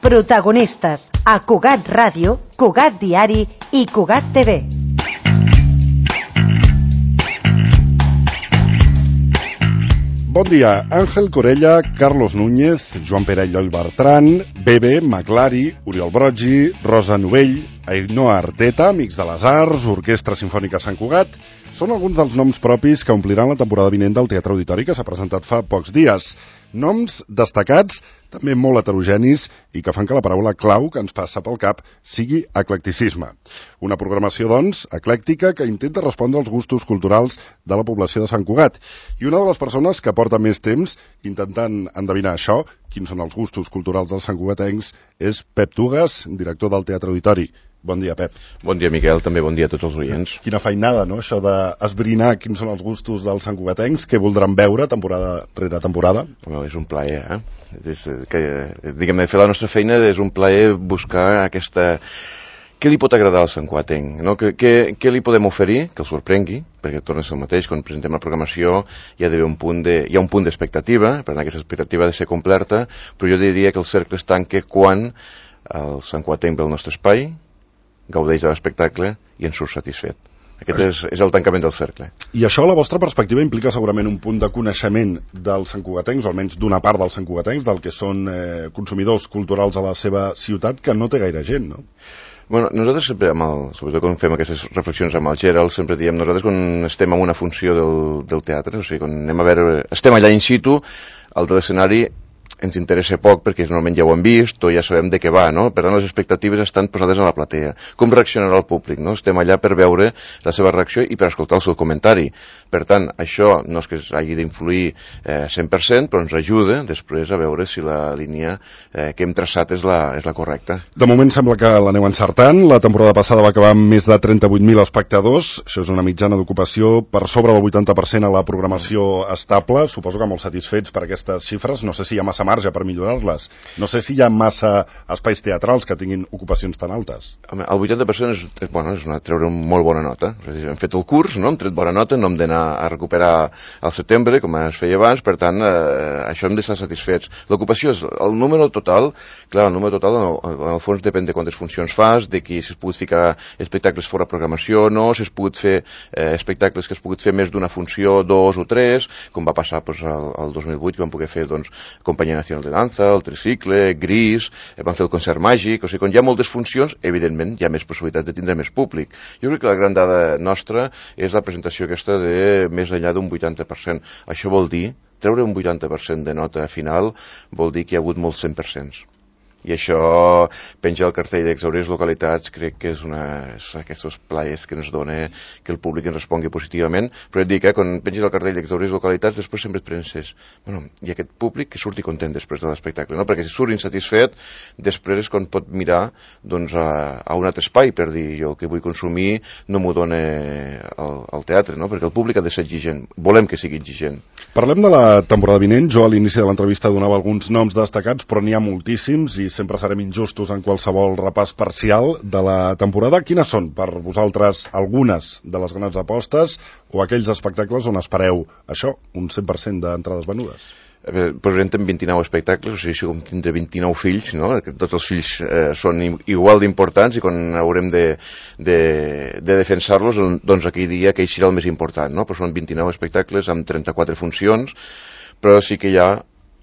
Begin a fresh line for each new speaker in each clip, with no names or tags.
Protagonistes a Cugat Ràdio, Cugat Diari i Cugat TV.
Bon dia, Àngel Corella, Carlos Núñez, Joan Pere Lloll Bertran, Bebe, Maclari, Oriol Broggi, Rosa Novell, Ainhoa Arteta, Amics de les Arts, Orquestra Simfònica Sant Cugat, són alguns dels noms propis que ompliran la temporada vinent del Teatre Auditori que s'ha presentat fa pocs dies. Noms destacats, també molt heterogenis i que fan que la paraula clau que ens passa pel cap sigui eclecticisme. Una programació, doncs, eclèctica que intenta respondre als gustos culturals de la població de Sant Cugat. I una de les persones que porta més temps intentant endevinar això, quins són els gustos culturals dels santcugatencs, és Pep Tugas, director del Teatre Auditori. Bon dia, Pep.
Bon dia, Miquel. També bon dia a tots els oients.
Quina feinada, no?, això d'esbrinar quins són els gustos dels santcugatencs, què voldran veure temporada rere temporada.
Bueno, és un plaer, diguem-ne, fer la nostra feina és un plaer buscar aquesta... Què li pot agradar al santcugatenc? No? Què li podem oferir que el sorprengui? Perquè torna a ser el mateix, quan presentem la programació hi ha d'haver un punt d'expectativa, per tant aquesta expectativa ha de ser completa, però jo diria que el cercle es tanca quan el santcugatenc ve al nostre espai, gaudeix de l'espectacle i en surt satisfet. Aquest és el tancament del cercle.
I això, a la vostra perspectiva, implica segurament un punt de coneixement dels santcugatencs, o almenys d'una part dels santcugatencs, del que són consumidors culturals a la seva ciutat, que no té gaire gent, no?
Bueno, nosaltres sempre, sobretot quan fem aquestes reflexions amb el Gerald, sempre diem, nosaltres quan estem en una funció del teatre, o sigui, quan anem a veure, estem allà in situ, el de l'escenari ens interessa poc perquè normalment ja ho hem vist o ja sabem de què va, no? Per tant, les expectatives estan posades a la platea. Com reaccionarà el públic, no? Estem allà per veure la seva reacció i per escoltar el seu comentari. Per tant, això no és que hagi d'influir 100%, però ens ajuda després a veure si la línia que hem traçat és la correcta.
De moment sembla que l'aneu encertant. La temporada passada va acabar amb més de 38.000 espectadors. Això és una mitjana d'ocupació per sobre del 80% a la programació estable. Suposo que molt satisfets per aquestes xifres. No sé si hi ha massa marge per millorar-les. No sé si hi ha massa espais teatrals que tinguin ocupacions tan altes.
El 80% és treure una molt bona nota. Hem fet el curs, no? Hem tret bona nota, no hem d'anar a recuperar al setembre, com es feia abans, per tant, això hem d'estar satisfets. L'ocupació és el número total, clar, el número total en el fons depèn de quantes funcions fas, de si es pogut ficar espectacles fora programació o no, si es pogut fer espectacles que es pogut fer més d'una funció, 2 o 3, com va passar el 2008, que vam poder fer, Companyia Nacional de Danza, el Tricicle, Gris, van fer el concert màgic, o sigui, quan hi ha moltes funcions, evidentment hi ha més possibilitat de tindre més públic. Jo crec que la gran dada nostra és la presentació aquesta de més enllà d'un 80%. Això vol dir, treure un 80% de nota final, vol dir que hi ha hagut molts 100%. I això, penja el cartell d'exhaurits localitats, crec que és aquests plaers que ens dona que el públic ens respongui positivament, però et dic, quan penges el cartell d'exhaurits localitats, després sempre et penses, i aquest públic que surti content després de l'espectacle, no? Perquè si surt insatisfet, després és quan pot mirar a un altre espai per dir, jo que vull consumir no m'ho dona el teatre, no? Perquè el públic ha de ser exigent, volem que sigui exigent.
Parlem de la temporada vinent. Jo a l'inici de l'entrevista donava alguns noms destacats, però n'hi ha moltíssims i sempre serem injustos en qualsevol repàs parcial de la temporada. Quines són, per vosaltres, algunes de les grans apostes o aquells espectacles on espereu això, un 100% d'entrades venudes?
Posarem 29 espectacles, o sigui, si com tindré 29 fills, no? Tots els fills són igual d'importants i quan haurem de defensar-los, doncs aquell dia aquell serà el més important, no? Però són 29 espectacles amb 34 funcions, però sí que hi ha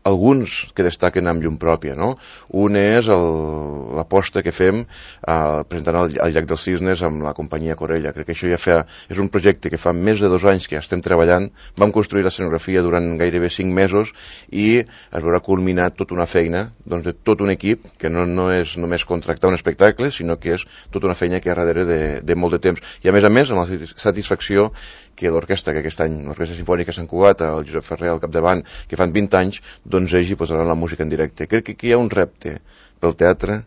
alguns que destaquen amb llum pròpia, no? Un és l'aposta que fem presentant el Llac dels Cisnes amb la companyia Corella. Crec que això és un projecte que fa més de 2 anys que ja estem treballant. Vam construir l'escenografia durant gairebé 5 mesos i es veurà culminat tota una feina de tot un equip, que no és només contractar un espectacle, sinó que és tota una feina que hi ha darrere de molt de temps. I a més, amb la satisfacció que l'orquestra, que aquest any, l'Orquestra Simfònica Sant Cugat, el Josep Ferrer al capdavant, que fan 20 anys, doncs ells hi posaran la música en directe. Crec que aquí hi ha un repte pel teatre,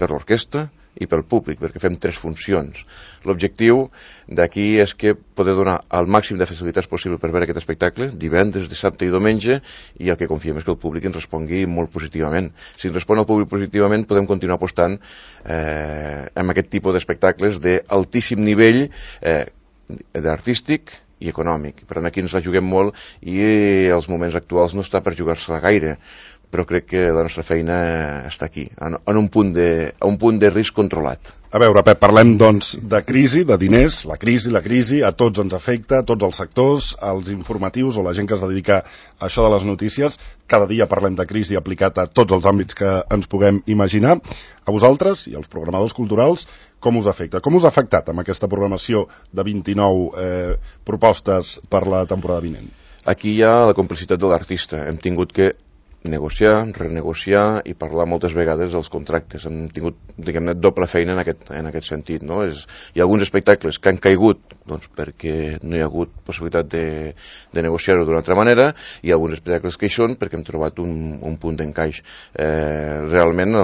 per l'orquestra i pel públic, perquè fem 3 funcions. L'objectiu d'aquí és que poder donar el màxim de facilitats possible per veure aquest espectacle, divendres, dissabte i diumenge, i el que confiem és que el públic ens respongui molt positivament. Si ens respon el públic positivament, podem continuar apostant amb aquest tipus d'espectacles d'altíssim nivell artístic i econòmic. Per tant, aquí ens la juguem molt i els moments actuals no està per jugar-se-la gaire. però crec que la nostra feina està aquí, en un punt de risc controlat.
A veure, Pep, parlem doncs de crisi, de diners, la crisi, a tots ens afecta, a tots els sectors, als informatius o la gent que es dedica a això de les notícies. Cada dia parlem de crisi aplicat a tots els àmbits que ens puguem imaginar. A vosaltres i als programadors culturals, com us afecta? Com us ha afectat amb aquesta programació de 29 propostes per la temporada vinent?
Aquí hi ha la complicitat de l'artista. Hem tingut que negociar, renegociar i parlar moltes vegades dels contractes. Hem tingut, diguem-ne, doble feina en aquest sentit, no? Hi ha alguns espectacles que han caigut doncs, perquè no hi ha hagut possibilitat de negociar-ho d'una altra manera, i alguns espectacles que hi són perquè hem trobat un punt d'encaix. Realment,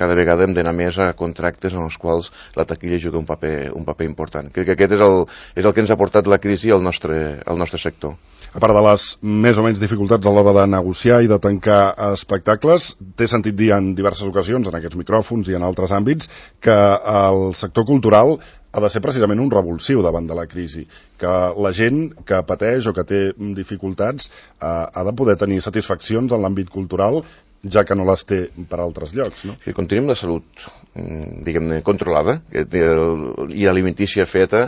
cada vegada hem d'anar més a contractes en els quals la taquilla juga un paper important. Crec que aquest és el que ens ha portat la crisi al nostre sector.
A part de les més o menys dificultats a l'hora de negociar i de tancar espectacles, t'he sentit dir en diverses ocasions, en aquests micròfons i en altres àmbits, que el sector cultural ha de ser precisament un revulsiu davant de la crisi, que la gent que pateix o que té dificultats ha de poder tenir satisfaccions en l'àmbit cultural, ja que no les té per altres llocs, no?
Si continuem la salut, diguem-ne, controlada i alimentícia feta,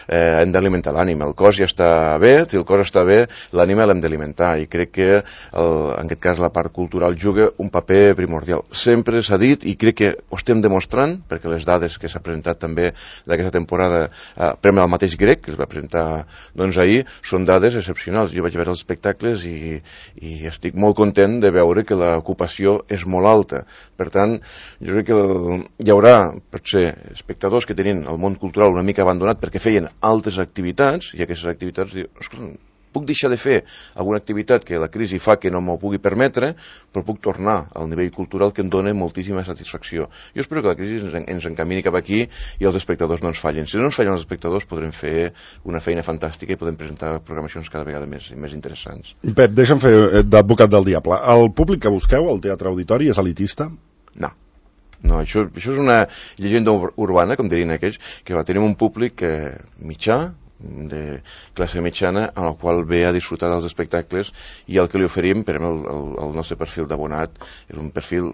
hem d'alimentar l'ànima. El cos ja està bé, si el cos està bé, l'ànima l'hem d'alimentar, i crec que en aquest cas la part cultural juga un paper primordial. Sempre s'ha dit, i crec que ho estem demostrant, perquè les dades que s'ha presentat també d'aquesta temporada, Premi al mateix Grec, que es va presentar doncs ahir, són dades excepcionals. Jo vaig veure els espectacles i estic molt content de veure que l'ocupació és molt alta. Per tant, jo crec que hi haurà, potser, espectadors que tenien el món cultural una mica abandonat perquè feien altres activitats, i aquestes activitats diuen, escolta, puc deixar de fer alguna activitat que la crisi fa que no m'ho pugui permetre, però puc tornar al nivell cultural que em dona moltíssima satisfacció. Jo espero que la crisi ens encamini cap aquí i els espectadors no ens fallen. Si no ens fallen els espectadors, podrem fer una feina fantàstica i podem presentar programacions cada vegada més interessants.
Pep, deixa'm fer d'advocat del diable. El públic que busqueu al Teatre Auditori és elitista?
No, això és una llegenda urbana, com dirien aquells, que tenim un públic mitjà, de classe mitjana, en el qual ve a disfrutar dels espectacles, i el que li oferim, per el nostre perfil d'abonat, és un perfil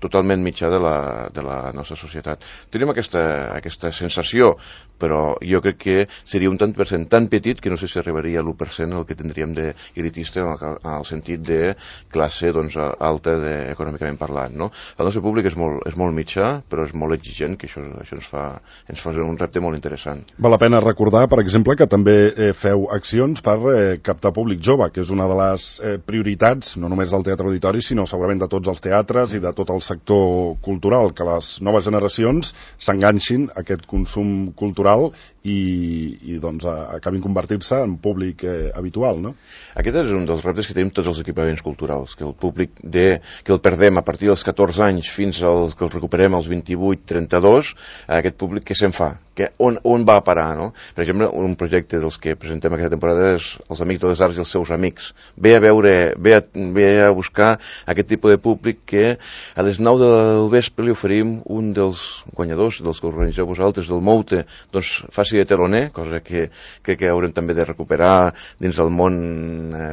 totalment mitjà de la nostra societat. Tenim aquesta sensació, però jo crec que seria un tant per cent tan petit que no sé si arribaria a l'1% el que tindríem d'elitista en el sentit de classe alta econòmicament parlant, no? El nostre públic és molt mitjà, però és molt exigent, que això ens fa un repte molt interessant.
Val la pena recordar, per exemple, que també feu accions per captar públic jove, que és una de les prioritats, no només del Teatre Auditori, sinó segurament de tots els teatres i de tot el sector cultural, que les noves generacions s'enganxin a aquest consum cultural i doncs acabin convertir-se en públic habitual, no?
Aquest és un dels reptes que tenim tots els equipaments culturals, que el públic que el perdem a partir dels 14 anys fins als que el recuperem als 28-32, aquest públic què se'n fa? On va a parar, no? Per exemple, un projecte dels que presentem aquesta temporada és Els Amics de les Arts i els seus amics. Ve a buscar aquest tipus de públic que a les 9 del vespre li oferim un dels guanyadors, dels que organitzeu vosaltres, del Moute, doncs faci de teloner, cosa que crec que haurem també de recuperar dins del món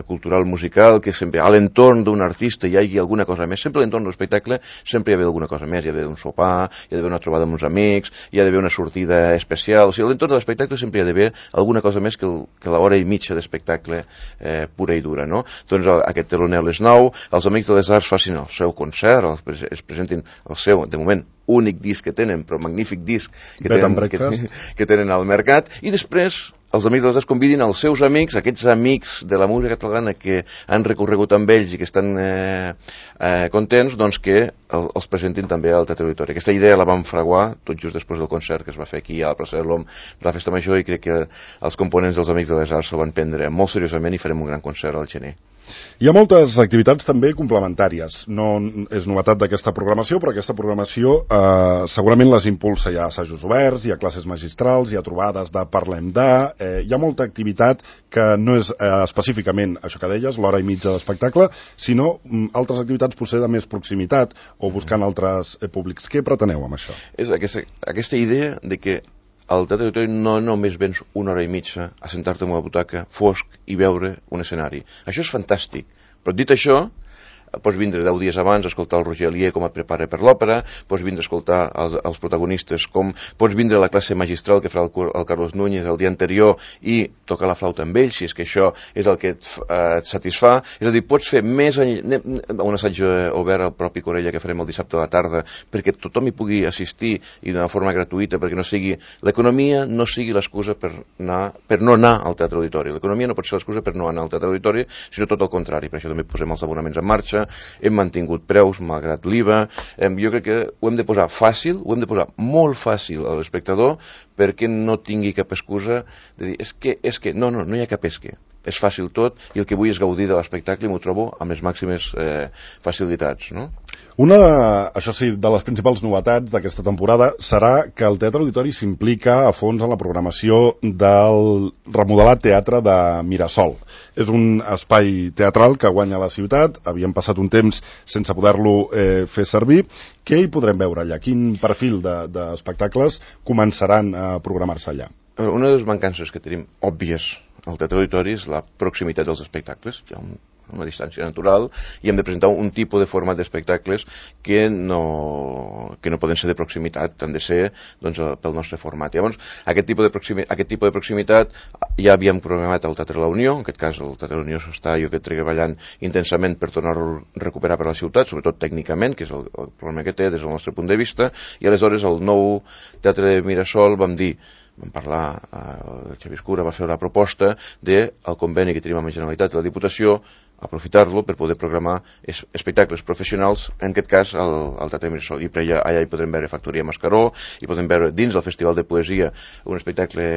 cultural musical, que sempre a l'entorn d'un artista hi hagi alguna cosa més. Sempre a l'entorn d'un espectacle sempre hi ha d'haver alguna cosa més. Hi ha d'haver un sopar, hi ha d'haver una trobada amb uns amics, hi ha d'haver una sortida especial. O sigui, a l'entorn de l'espectacle sempre hi ha d'haver alguna cosa més que l'hora i mitja d'espectacle pura i dura, no? Doncs aquest teloner a les 9, els Amics de les Arts facin el seu concert, es presentin el seu, de moment, únic disc que tenen, però magnífic disc que tenen al mercat, i després els Amics de les Arts convidin els seus amics, aquests amics de la música catalana que han recorregut amb ells i que estan contents, doncs que els presentin també al Teatre Auditori. Aquesta idea la vam fraguar tot just després del concert que es va fer aquí a la plaça de l'Om de la Festa Major, i crec que els components dels Amics de les Arts s'ho van prendre molt seriosament i farem un gran concert al gener.
Hi ha moltes activitats també complementàries. No és novetat d'aquesta programació, però aquesta programació segurament les impulsa. Hi ha assajos oberts, hi ha classes magistrals, hi ha trobades de Parlem de... hi ha molta activitat que no és específicament això que deies, l'hora i mitja d'espectacle, sinó altres activitats potser de més proximitat o buscant altres públics. Què preteneu amb això?
És aquesta idea de que al Teatre Auditori no només vens una hora i mitja a sentar-te en una butaca fosc i veure un escenari. Això és fantàstic, però dit això, pots vindre 10 dies abans a escoltar el Roger Alier com a prepara per l'òpera, pots vindre a escoltar els protagonistes, pots vindre a la classe magistral que farà el Carlos Núñez el dia anterior i tocar la flauta amb ell, si és que això és el que et satisfà. És a dir, pots fer més un assaig obert al propi Corella que farem el dissabte a la tarda perquè tothom hi pugui assistir i d'una forma gratuïta, perquè no sigui l'economia no sigui l'excusa per no anar al Teatre Auditori. L'economia no pot ser l'excusa per no anar al Teatre Auditori, sinó tot el contrari. Per això també posem els abonaments en marxa, hem mantingut preus malgrat l'IVA. Jo crec que ho hem de posar fàcil, ho hem de posar molt fàcil a l'espectador perquè no tingui cap excusa de dir, és que no hi ha cap que. És fàcil tot i el que vull és gaudir de l'espectacle i m'ho trobo amb les màximes facilitats, no?
Això sí, de les principals novetats d'aquesta temporada serà que el Teatre Auditori s'implica a fons en la programació del remodelat Teatre de Mirasol. És un espai teatral que guanya la ciutat, havíem passat un temps sense poder-lo fer servir. Què hi podrem veure allà? Quin perfil d'espectacles començaran a programar-se allà?
Una de les mancances que tenim òbvies al Teatre Auditori és la proximitat dels espectacles. Hi ha una distància natural i hem de presentar un tipus de format d'espectacles que no poden ser de proximitat, han de ser pel nostre format. Llavors, aquest tipus de proximitat ja havíem programat al Teatre La Unió, en aquest cas el Teatre La Unió s'està treballant intensament per tornar-ho a recuperar per la ciutat, sobretot tècnicament, que és el problema que té des del nostre punt de vista, i aleshores el nou Teatre de Mirasol vam parlar, el Xavier Escura va fer la proposta del conveni que tenim amb la Generalitat i la Diputació, aprofitar-lo per poder programar espectacles professionals, en aquest cas al Teatre Mirasol. I per allà hi podrem veure Factoria Mascaró, hi podem veure dins del Festival de Poesia un espectacle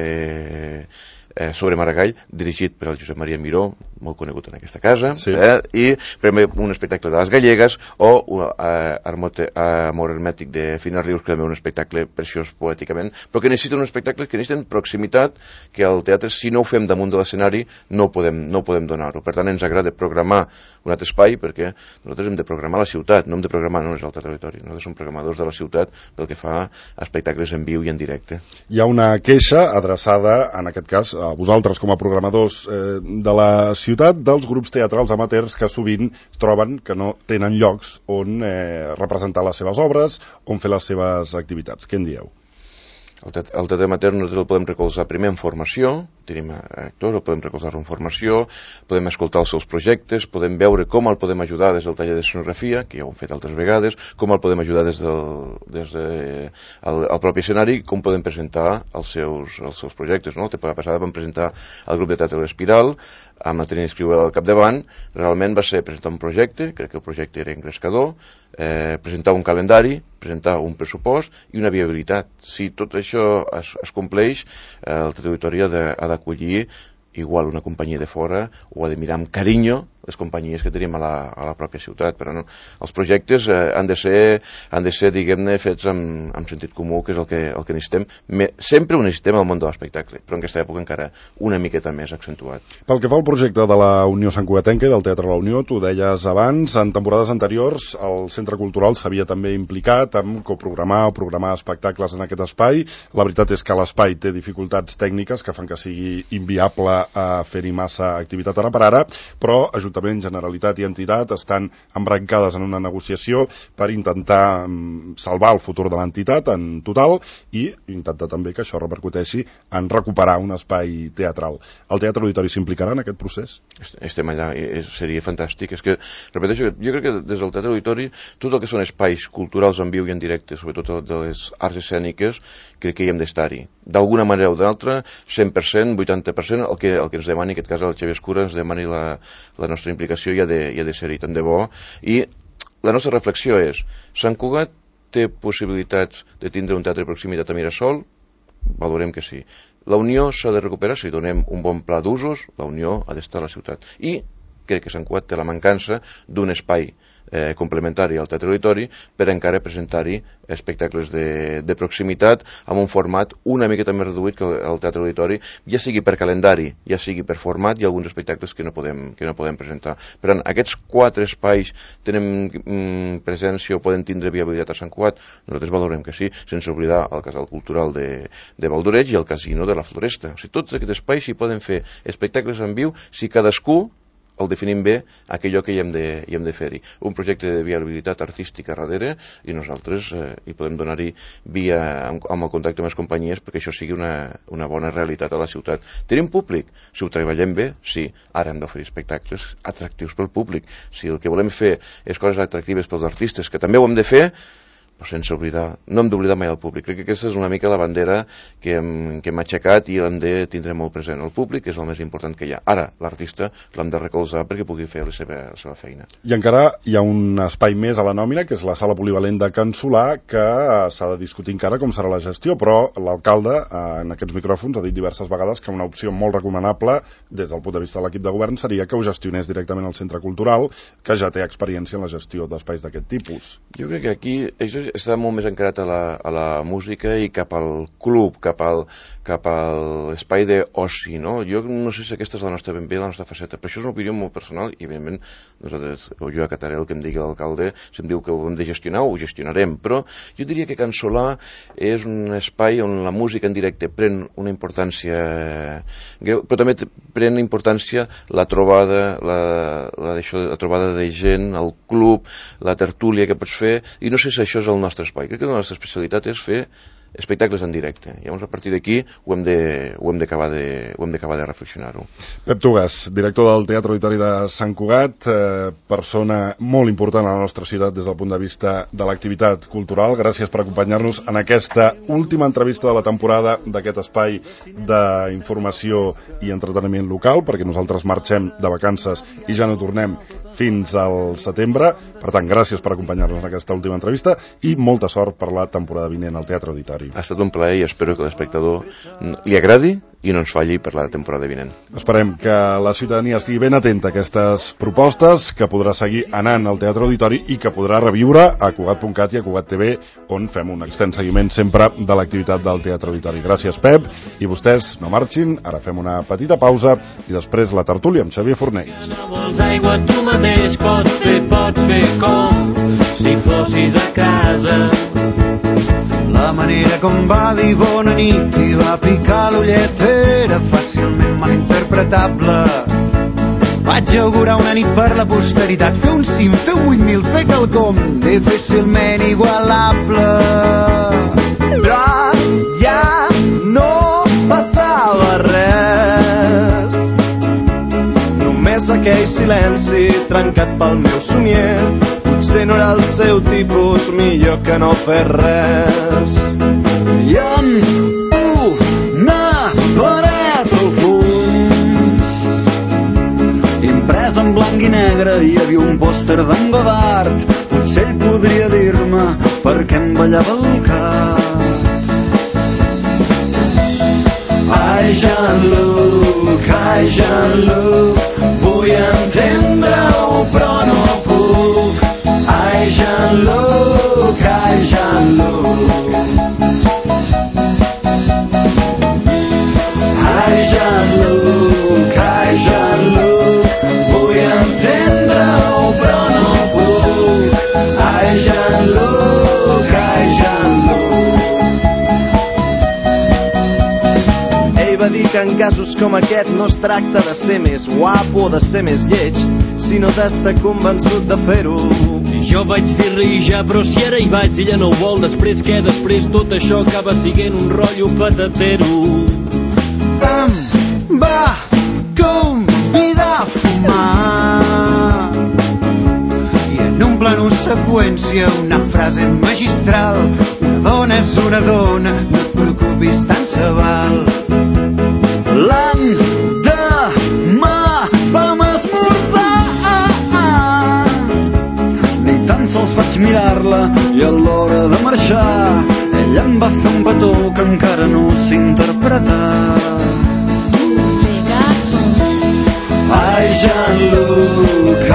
sobre Maragall, dirigit per el Josep Maria Miró, molt conegut en aquesta casa, sí. I primer un espectacle de les Gallegues o Amor Hermètic de Fina Rius, que també és un espectacle preciós poèticament, però que necessiten un espectacle que necessiten proximitat, que al teatre, si no ho fem damunt de l'escenari, no podem donar-ho. Per tant, ens agrada programar un altre espai, perquè nosaltres hem de programar la ciutat, no hem de programar només el Teatre Auditori. Nosaltres som programadors de la ciutat pel que fa a espectacles en viu i en directe.
Hi ha una queixa adreçada, en aquest cas, a vosaltres com a programadors de la ciutat, dels grups teatrals amateurs que sovint troben que no tenen llocs on representar les seves obres, on fer les seves activitats. Què en dieu?
El teatre amateur nosaltres el podem recolzar primer en formació, tenim actors, el podem recolzar en formació, podem escoltar els seus projectes, podem veure com el podem ajudar des del taller de sonografia, que ja ho hem fet altres vegades, com el podem ajudar des del propi escenari, com podem presentar els seus projectes. La temporada passada vam presentar el grup de teatre de l'Espiral, amb la Trini Escriu al capdavant. Realment va ser presentar un projecte, crec que el projecte era engrescador, presentar un calendari, presentar un pressupost i una viabilitat. Si tot això es compleix, el Teatre Auditori ha d'acollir igual una companyia de fora o ha de mirar amb carinyo les companyies que tenim a la pròpia ciutat. Però no, els projectes han de ser diguem-ne, fets amb sentit comú, que és el que necessitem. Sempre ho necessitem al món de l'espectacle, però en aquesta època encara una miqueta més accentuat.
Pel que fa al projecte de la Unió Sant Cugatenca i del Teatre La Unió, tu deies abans, en temporades anteriors el Centre Cultural s'havia també implicat en coprogramar o programar espectacles en aquest espai. La veritat és que l'espai té dificultats tècniques que fan que sigui inviable a fer-hi massa activitat ara per ara, però Ajuntament, Generalitat i entitat estan embrancades en una negociació per intentar salvar el futur de l'entitat en total i intentar també que això repercuteixi en recuperar un espai teatral. El Teatre Auditori s'implicarà en aquest procés?
Estem allà, seria fantàstic. És que, repeteixo, jo crec que des del Teatre Auditori tot el que són espais culturals en viu i en directe, sobretot de les arts escèniques, crec que hi hem d'estar-hi. D'alguna manera o d'altra, 100%, 80%, el que ens demani, en aquest cas el Xavier Escura, ens demani la nostra implicació i ha de ser-hi tant de bo. I la nostra reflexió és, Sant Cugat té possibilitats de tindre un teatre de proximitat a Mirasol? Valorem que sí. La Unió s'ha de recuperar, si donem un bon pla d'usos, la Unió ha d'estar a la ciutat. I crec que Sant Cugat té la mancança d'un espai complementari al Teatre Auditori per encara presentar-hi espectacles de proximitat amb un format una miqueta més reduït que el Teatre Auditori, ja sigui per calendari, ja sigui per format, i alguns espectacles que no podem presentar. Per tant, aquests 4 espais tenen presència o poden tindre viabilitat a Sant Cugat? Nosaltres valorem que sí, sense oblidar el Casal Cultural de Valdoreig i el Casino de la Floresta. O sigui, tots aquests espais s'hi poden fer espectacles en viu si cadascú el definim bé aquell que hi hem de fer-hi. Un projecte de viabilitat artística darrere i nosaltres hi podem donar-hi via amb el contacte amb les companyies perquè això sigui una bona realitat a la ciutat. Tenim públic? Si ho treballem bé, sí. Ara hem d'oferir espectacles atractius pel públic. Si el que volem fer és coses atractives pels artistes, que també ho hem de fer, però sense oblidar, no hem d'oblidar mai el públic. Crec que aquesta és una mica la bandera que hem aixecat i l'hem de tindre molt present. El públic és el més important que hi ha. Ara, l'artista l'hem de recolzar perquè pugui fer la seva feina.
I encara hi ha un espai més a la nòmina, que és la sala polivalent de Can Solà, que s'ha de discutir encara com serà la gestió, però l'alcalde en aquests micròfons ha dit diverses vegades que una opció molt recomanable des del punt de vista de l'equip de govern seria que ho gestionés directament el centre cultural, que ja té experiència en la gestió d'espais d'aquest tipus.
Jo crec que aquí està molt més encarat a la música i cap al club, cap a l'espai d'oci, no? Jo no sé si aquesta és la nostra ben bé, la nostra faceta, però això és una opinió molt personal i, evidentment, nosaltres, o jo acataré el que em digui l'alcalde, si em diu que ho hem de gestionar, ho gestionarem, però jo diria que Can Solà és un espai on la música en directe pren una importància greu, però també pren importància la trobada, la trobada de gent, el club, la tertúlia que pots fer, i no sé si això és el nostre espai. Crec que la nostra especialitat és fer espectacles en directe. Llavors, a partir d'aquí ho hem d'acabar de reflexionar-ho.
Pep Tugas, director del Teatre Auditori de Sant Cugat, persona molt important a la nostra ciutat des del punt de vista de l'activitat cultural. Gràcies per acompanyar-nos en aquesta última entrevista de la temporada d'aquest espai d'informació i entreteniment local, perquè nosaltres marxem de vacances i ja no tornem fins al setembre. Per tant, gràcies per acompanyar-nos en aquesta última entrevista i molta sort per la temporada vinent al Teatre Auditori.
Ha estat un plaer i espero que l'espectador li agradi i no ens falli per la temporada vinent.
Esperem que la ciutadania estigui ben atenta a aquestes propostes, que podrà seguir anant al Teatre Auditori i que podrà reviure a Cugat.cat i a Cugat TV, on fem un extens seguiment sempre de l'activitat del Teatre Auditori. Gràcies, Pep, i vostès no marxin, ara fem una petita pausa i després la tertúlia amb Xavier Fornells.
No vols aigua, tu mateix pots fer com si fossis a casa.
La manera com va dir bona nit i va picar l'ullet era fàcilment malinterpretable. Vaig augurar una nit per la posteritat, fer un cim, fer 8.000, fer quelcom difícilment igualable. Però ja no passava res, només aquell silenci trencat pel meu somier. Potser no era el seu tipus, millor que no fer res. I en una paret al fons, imprès en blanc i negre, hi havia un pòster d'en Godard. Potser ell podria dir-me per què em ballava el cap. Ai, Jean-Luc, vull entendre-ho, però no puc. Ai, Jean-Luc, ai, Jean-Luc. Ai, Jean-Luc, vull entendre-ho, però no puc. Ai, Jean-Luc, ai, Jean-Luc. Ell va dir que en casos com aquest no es tracta de ser més guapo o de ser més lleig, sinó d'estar convençut de fer-ho.
Jo vaig dir-li ja, però si ara hi vaig, ella no ho vol. Després què? Després tot això acaba siguent un rotllo patatero.
Em va convidar a fumar i en un plano seqüència una frase magistral: una dona és una dona, no et preocupis, tant se val. L'endemà vam esmorzar, ni tan sols vaig mirar-la i a l'hora de marxar ella em va fer un petó que encara no sé interpretar. Ai, Jean-Luc,